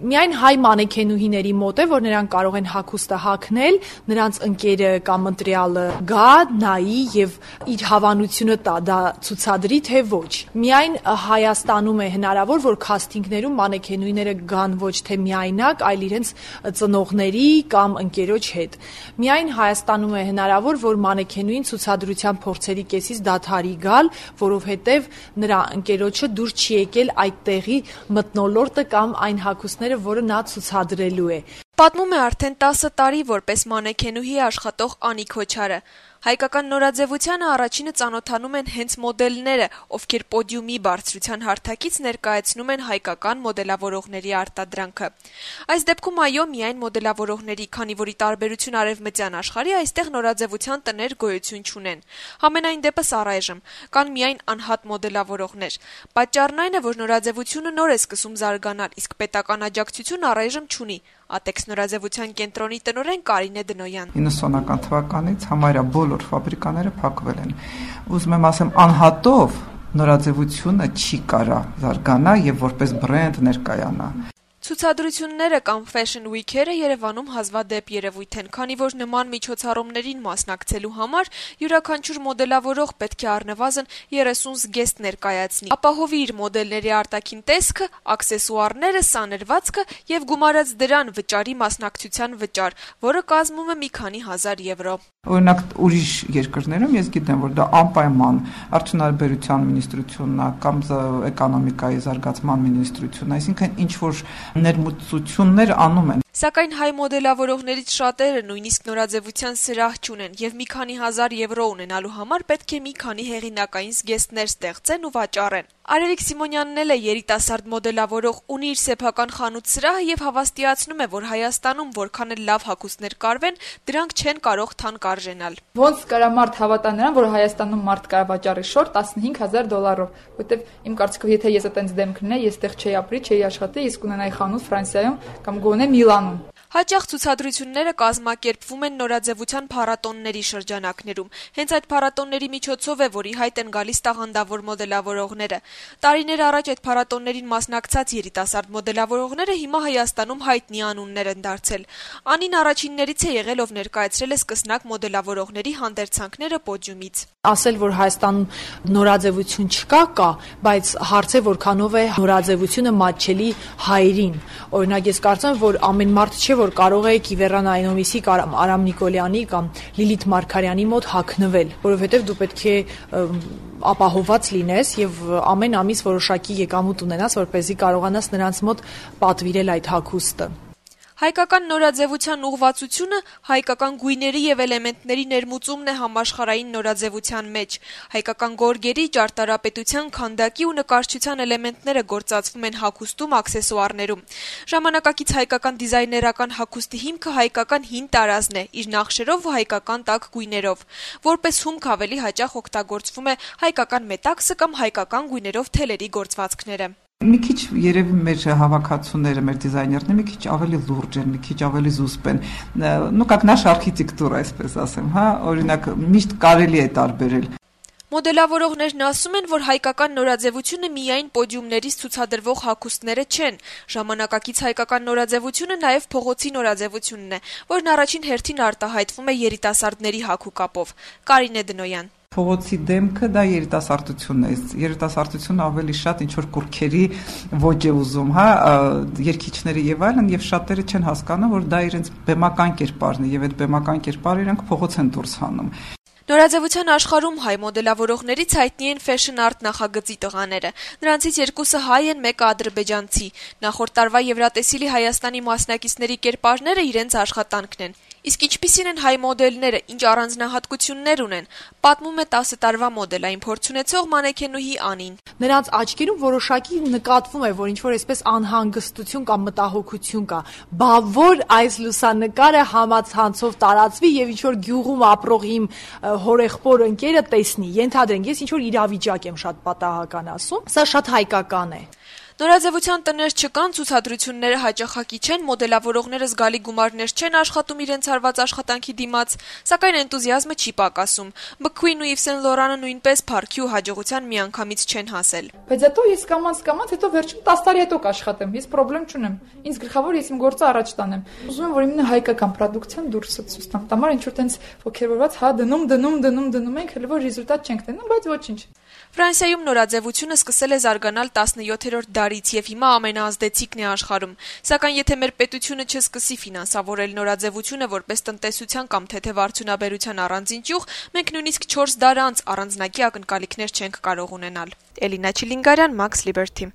Միայն հայ մանեքենուհիների մոտ է, որ նրանք կարող են հագուստը հագնել, նրանց ընկերը կամ ընտրյալը գա, նայի եւ իր հավանությունը տա, դա ցուցադրի թե ոչ։ Միայն Հայաստանում է հնարավոր, որ քասթինգներում մանեքենուհիները գան ոչ թե միայնակ, այլ իրենց ծնողների կամ ընկերոջ հետ։ Միայն Հայաստանում է հնարավոր, որ մանեքենուհին ցուցադրության փորձերի կեսից դադարի գալ, որովհետեւ նրա ընկերոջը դուր չի եկել այդ տեղի մթնոլորտը կամ այն հագուստները, որը նա ցուցադրելու է։ Պատմում է արդեն 10 տարի որպես մանեքենուհի աշխատող Անի Քոչարը։ Հայկական նորաձևությանը առաջինը ծանոթանում են հենց մոդելները, ովքեր պոդիումի բարձրության հարթակից ներկայացնում են հայկական մոդելավորողների արտադրանքը։ Այս դեպքում այո, միայն մոդելավորողների, քանի որ ի տարբերություն արևմտյան աշխարհի այստեղ նորաձևության տներ գոյություն չունեն։ Համենայն դեպս առայժմ կան միայն անհատ մոդելավորողներ։ Պատճառն այն է, որ նորաձևությունը նոր է սկսում զարգանալ, իսկ պետական աջակցություն առայժմ չունի։ Ատեքս նորաձևության կենտրոնի տնօրեն Կարինե Դնոյան 90-ական թվականից համարյա բոլոր ֆաբրիկաները փակվել են։ Ուզում եմ ասեմ, անհատով նորաձևությունը չի կարա զարգանա եւ որպես բրենդ ներկայանա։ Ցուցադրությունները կամ Fashion Week-երը Երևանում հազվադեպ երևույթ են, քանի որ նման միջոցառումներին մասնակցելու համար յուրաքանչյուր մոդելավորող պետք է առնվազն 30 զգեստ ներկայացնի, ապահովի իր մոդելների արտաքին տեսքը, աքսեսուարները, սանրվածքը եւ գումարած դրան վճարի մասնակցության վճար, որը կազմում է մի քանի հազար եվրո։ Օրինակ ուրիշ երկրներում ես գիտեմ, որ դա անպայման արդյունաբերության մինիստրությունն է կամ էկոնոմիկայի զարգացման մինիստրությունն է, այսինքն ինչ որ ներմուծություններ անում են։ Սակայն հայ մոդելավորողներից շատերը նույնիսկ նորաձևության սրահ չունեն եւ մի քանի հազար եվրո ունենալու համար պետք է մի քանի հեղինակային զգեստներ ստեղծեն ու վաճառեն։ Արևիկ Սիմոնյանն էլ է երիտասարդ մոդելավորող, ունի իր սեփական խանութ սրահը եւ հավաստիացնում է, որ Հայաստանում որքան էլ լավ հագուստներ կարվեն, դրանք չեն կարող թանկարժենալ։ Ոնց կարա մարդ հավատա նրան, որ Հայաստանում մարդ կարա վաճառի շորտ $15,000, որտեվ իմ կարծիքով եթե ես այդպես դեմ կլինեի, ես այդտեղ չէի ապրի, չէի աշխատի, իսկ ունենայի խանութ Ֆրանսիայում կամ գոնե Միլանում։ Հաճախ ցուցադրությունները կազմակերպվում են նորաձևության փառատոնների շրջանակներում։ Հենց այդ փառատոնների միջոցով է, որ ի հայտ են գալիս տաղանդավոր մոդելավորողները։ Տարիներ առաջ այդ փառատոններին մասնակցած երիտասարդ մոդելավորողները հիմա Հայաստանում հայտնի անուններ են դարձել։ Անին առաջիններից է եղել, ով ներկայացրել է սկսնակ մոդելավորողների հանդերձանքները պոդիումից։ Ասել, որ Հայաստանում նորաձևություն չկա, բայց հարց է որքանով է նորաձևությունը մատչելի հայերին։ Օրինակ ես կարծում եմ, որ ամեն մարդ չէ, որ կարող է Կիվեռան Այնոմիսի կամ Արամ Նիկոլյանի կամ Լիլիթ Մարգարյանի մոտ հագնվել, որովհետև դու պետք է ապահոված լինես եւ ամեն ամիս որոշակի եկամուտ ունենաս, որպեսզի կարողանաս նրանց մոտ պատվիրել այդ հագուստը։ Հայկական նորաձևության ուղղվածությունը հայկական գույների եւ էլեմենտների ներմուծումն է համաշխարհային նորաձևության մեջ։ Հայկական գորգերի, ճարտարապետության, քանդակի ու նկարչության էլեմենտները գործածվում են հագուստում, աքսեսուարներում։ Ժամանակակից հայկական դիզայներական հագուստի հիմքը հայկական հին տարազն է, իր նախշերով ու հայկական տաք գույներով։ Որպես հումք ավելի հաճախ օգտագործվում է հայկական մետաքսը կամ հայկական գույներով թելերի գործվածքները։ Մի քիչ երևի մեր հավաքածուները, մեր դիզայներները մի քիչ ավելի լուրջ են, մի քիչ ավելի զուսպ են։ Ну как наша архитектура, այսպես ասեմ, հա, օրինակ միշտ կարելի է տարբերել։ Մոդելավորողներն ասում են, որ հայկական նորաձևությունը միայն պոդիումներից ցուցադրվող հագուստները չեն։ Ժամանակակից հայկական նորաձևությունը նաև փողոցի նորաձևությունն է, որն առաջին հերթին արտահայտվում է երիտասարդների հագուկապով։ Կարինե Դնոյան Փողոցի դեմքը դա երիտասարդությունն է։ Երիտասարդությունը ավելի շատ ինչ որ կուրքերի ոճ է ուզում, հա, երգիչները եւ այլն, եւ շատերը չեն հասկանում, որ դա իրենց բեմական կերպարն է, եւ այդ բեմական կերպարը իրենք փողոց են դուրս հանում։ Նորաձևության աշխարհում հայ մոդելավորողներից հայտնի են Fashion Art նախագծի տղաները։ Նրանցից երկուսը հայ են, մեկը ադրբեջանցի։ Նախորդ տարվա Եվրատեսիլի Հայաստանի մասնակիցների կերպարները իրենց աշխատանքն են։ Իսկ ինչպիսին են հայ մոդելները, ինչ առանձնահատկություններ ունեն, պատմում է 10 տարվա մոդելային փորձ ունեցող մանեքենուհի Անին։ Նրանց աչքերում որոշակի նկատվում է, որ ինչ-որ այսպես անհանգստություն կամ մտահոգություն կա։ Բա որ այս լուսանկարը համացանցով տարածվի եւ ինչ-որ գյուղում ապրող իմ հորեղբոր ընկերը տեսնի։ Ենթադրենք, ես ինչ-որ իրավիճակ եմ շատ պատահական ասում, սա շատ հայկական է։ Նորաձևության տներ չկան, ցուցադրությունները հաճախակի չեն, մոդելավորողները զգալի գումարներ չեն աշխատում իրենց հարված աշխատանքի դիմաց, սակայն էնտուզիազմը չի պակասում։ McQueen ու Yves Saint Laurent-ը նույնպես փառքի ու հաջողության միանգամից չեն հասել։ Բայց հետո ես կամած հետո վերջում 10 տարի հետո կաշխատեմ, ես խնդրեմ չունեմ։ Ինձ գլխավոր ես իմ գործը առաջ տանեմ։ Ուզում եմ, որ իմенно հայկական պրոդուկցիան դուրսը ցույց տամ։ Տամար ինչ որ տենց ոգևորված, հա դնում ենք, հələ որ ռեզուլտատ չենք տենում, բայց ոչինչ։ Ֆրանսիայում նորաձևությունը սկսել է զարգանալ 17-րդ դարից եւ հիմա ամենաազդեցիկն է աշխարհում։ Սակայն եթե մեր պետությունը չսկսի ֆինանսավորել նորաձևությունը որպես տնտեսության կամ թեթև արդյունաբերության առանձին ճյուղ, մենք նույնիսկ 4 դար անց առանձնակի ակնկալիքներ չենք կարող ունենալ։ Էլինա Չիլինգարյան, Max Liberty։